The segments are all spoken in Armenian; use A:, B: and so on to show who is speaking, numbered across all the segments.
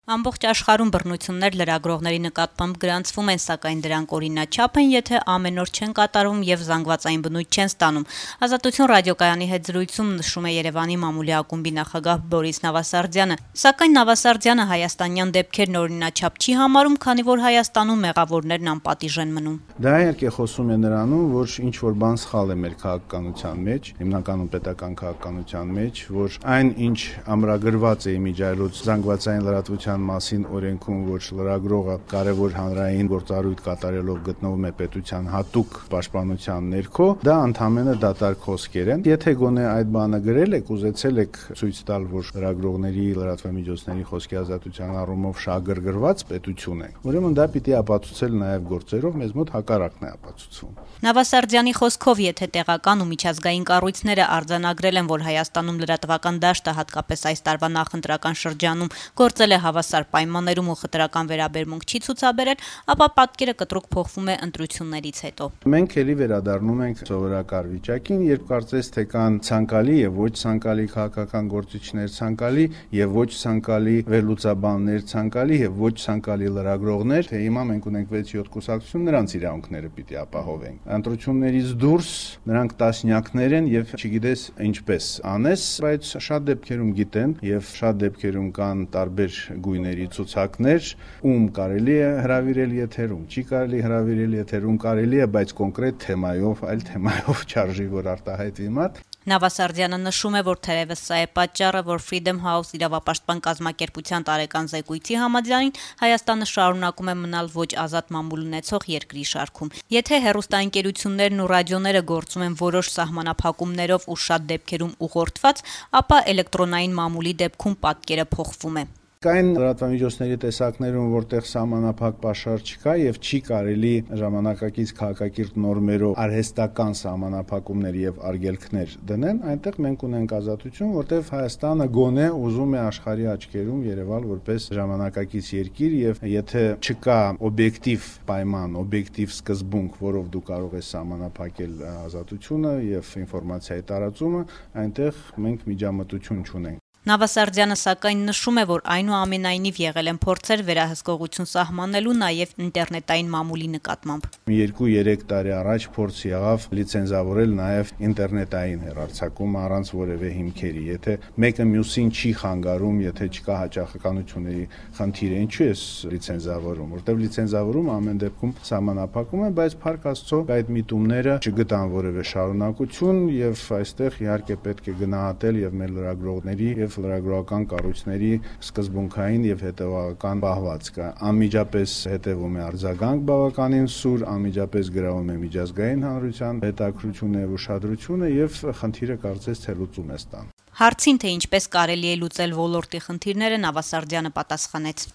A: Ամբողջ աշխարհում բռնություններ լրագրողների նկատմամբ գրանցվում են, սակայն դրանք օրինաչափ են, եթե ամեն օր չեն կատարվում եւ զանգվածային բնույթ չեն ստանում։ Ազատություն ռադիոկայանի հետ զրույցում նշում է Երևանի մամուլի ակումբի նախագահ Բորիս Նավասարդյանը։ Սակայն Նավասարդյանը հայաստանյան դեպքերն օրինաչափ չի համարում, քանի որ Հայաստանում մեղավորներն անպատիժ են մնում։
B: Դա իհարկե խոսում է նրանում, որ ինչ որ բան սխալ է մեր քաղաքականության մեջ, հիմնականում պետական քաղաքականության մեջ, որ այն ինչ ամրագրված է իմիջիայլոց զանգվածային լրատվության մասին օրենքում, որ լրագրողը կարևոր հանրային գործառույթ կատարելով գտնվում է պետության հատուկ պաշտպանության ներքո, դա ընդհանրապես դատարկ խոսքեր են։ Եթե գոնե այդ բանը գրել եք, ուզեցել եք ցույց տալ, որ լրագրողների, լրատվամիջոցների խոսքի ազատության առումով շահագրգռված պետություն է, ուրեմն դա պիտի ապացուցել նաև գործերով, մեզ մոտ հակառակն է ապացուցվում։
A: Նավասարդյանի խոսքով, եթե տեղական ու միջազգային կառույցները արձանագրել են, որ Հայաստանում լրատվական դաշտը հատկապես այս տարվա նախընտրական շրջանում գործել է հավասար պայմաններում ու խտրական վերաբերմունք չի ցուցաբերել, ապա պատկերը կտրուկ փոխվում է ընտրություններից հետո։
B: Մենք էլի վերադառնում ենք սովորական վիճակին, երբ կարծես թե կան ցանկալի եւ ոչ ցանկալի քաղաքական գործիչներ, ցանկալի եւ ոչ ցանկալի վերլուծաբաններ, ցանկալի եւ ոչ ցանկալի լրագրողներ, թե հիմա մենք ունենք 6-7 կուսակցություն, նրանց իրավունքները պիտի ապահովենք։ Ընտրություններից դուրս նրանք տասնյակներ են եւ չգիտես ինչպես անես, բայց շատ դեպքերում գիտեն եւ շատ դեպքերում կան տարբեր գույների ցուցակներ, ում կարելի է հրավիրել եթերում, չի կարելի հրավիրել եթերում, կարելի է, բայց կոնկրետ թեմայով, այլ թեմայով չարժի որ արտահայտվի մատ։
A: Նավասարդյանը նշում է, որ թերևս սա է պատճառը, որ Freedom House իրավապաշտպան կազմակերպության տարեկան զեկույցի համաձայն Հայաստանը շարունակում է մնալ ոչ ազատ մամուլ ունեցող երկրի շարքում։ Եթե հեռուստաընկերություններն ու ռադիոները գործում են որոշ սահմանափակումներով ու շատ դեպքերում ուղղորդված, ապա էլեկտրոնային մամուլի դեպքում պատկերը փոխվում է։
B: Կային լրատվամիջոցների տեսակներում, որտեղ սահմանափակ պաշար չկա եւ չի կարելի ժամանակակից քաղաքակիրթ նորմերով արհեստական սահմանափակումներ եւ արգելքներ դնել, այնտեղ մենք ունենք ազատություն, որտեղ Հայաստանը գոնե ուզում է աշխարհի աչքերում երևալ որպես ժամանակակից երկիր եւ եթե չկա օբյեկտիվ պայման, օբյեկտիվ սկզբունք, որով դու կարող ես սահմանափակել ազատությունը եւ ինֆորմացիայի տարածումը, այնտեղ մենք միջամտություն չունենք։
A: Նավասարդյանը սակայն նշում է, որ այնուամենայնիվ եղել են փորձեր վերահսկողություն սահմանելու նաև ինտերնետային մամուլի նկատմամբ։
B: 2-3 տարի առաջ փորձ եղավ լիցենզավորել նաև ինտերնետային հեռարձակումը առանց որևէ հիմքերի։ Եթե մեկը մյուսին չի խանգարում, եթե չկա հաճախականությունների խնդիր, ինչու է լիցենզավորում, որտեղ լիցենզավորումը ամեն դեպքում սահմանափակում է, բայց փառք Աստծո այդ միտումները չգտան որևէ շարունակություն եւ այստեղ իհարկե պետք է գնահատել եւ մեր լրագրողների եւ լրագրողական կառույցների սկզբունքային եւ հետեւական պահվածքը։ Անմիջապես հետևում է արձագանք բավականին սուր, անմիջապես գրավում է միջազգային հանրության հետաքրքրությունը եւ ուշադրությունը եւ խնդիրը կարծես թե լուծում է ստան։
A: Հարցին թե ինչպես կարելի է լուծել ոլորտի խնդիրները Նավասարդյանը պատասխանեց.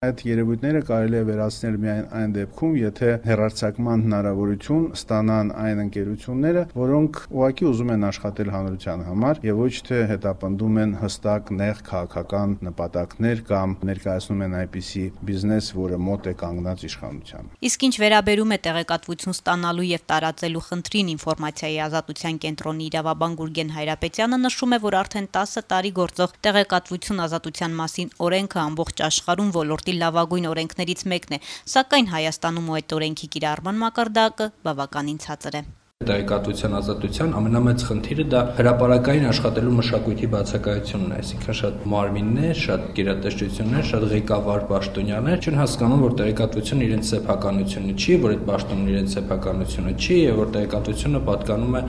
B: Այդ երևույթները կարելի է վերացնել միայն այն դեպքում, եթե հեռարձակման հնարավորություն ստանան այն ընկերությունները, որոնք ուղղակի ուզում են աշխատել հանրության համար եւ ոչ թե հետապնդում են հստակ նեղ քաղաքական նպատակներ կամ ներկայացնում են այնպիսի բիզնես, որը մոտ է կանգնած իշխանությանը։
A: Իսկ ինչ վերաբերում է տեղեկատվություն ստանալու եւ տարածելու խնդրին, ինֆորմացիայի ազատության կենտրոնի իրավաբան Գուրգեն Հայրապետյանը նշում է, որ արդեն 10 տարի գործող տեղեկատվություն ազատության մասին օրենքը ամբողջ աշխարհում ոլորտի լավագույն օրենքներից մեկն է, սակայն Հայաստանում այդ օրենքի կիրառման մակարդակը բավականին ցածր է։
C: Տեղեկատվության ազատության ամենամեծ խնդիրը դա հրապարակային աշխատելու մշակույթի բացակայությունն է, այսինքն շատ մարմիններ, շատ գերատեսչություններ, շատ ղեկավար պաշտոնյաներ չեն հասկանում, որ տեղեկատվությունը իրենց սեփականությունը չի, որ այդ պաշտոնն իրենց սեփականությունը չի եւ որ տեղեկատվությունը պատկանում է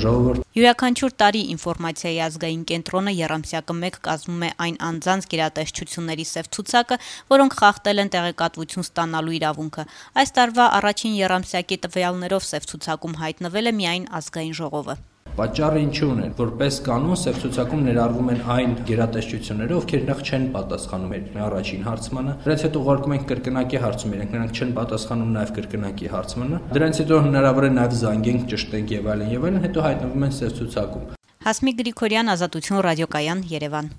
C: ժողովրդին։
A: Յուրաքանչյուր տարի ինֆորմացիայի ազգային կենտրոնը եռամսյակը 1 կազմում է այն անձանց գերատեսչությունների սև ցուցակը, որոնք խախտել են տեղեկատվություն ստանալու իրավունքը։ Այս տարվա առաջին եռամսյակի տվյալներով սև ցուցակում հայտնվել է միայն ազգային ժողովը։
C: Պատճառը ինչու՞ն է, որպես կանոն սև ցուցակում ներառվում են այն գերատեսչությունները, ովքեր նախ չեն պատասխանում առաջին հարցմանը, դրանից հետո ուղարկում ենք կրկնակի հարցում, նրանք չեն պատասխանում նաև կրկնակի հարցմանը, դրանից հետո հնարավոր է նաև զանգենք, ճշտենք եւ այլն, հետո հայտնվում են սև ցուցակում։
A: Հասմիկ Գրիգորյան, Ազատություն ռադիոկայան, Երևան։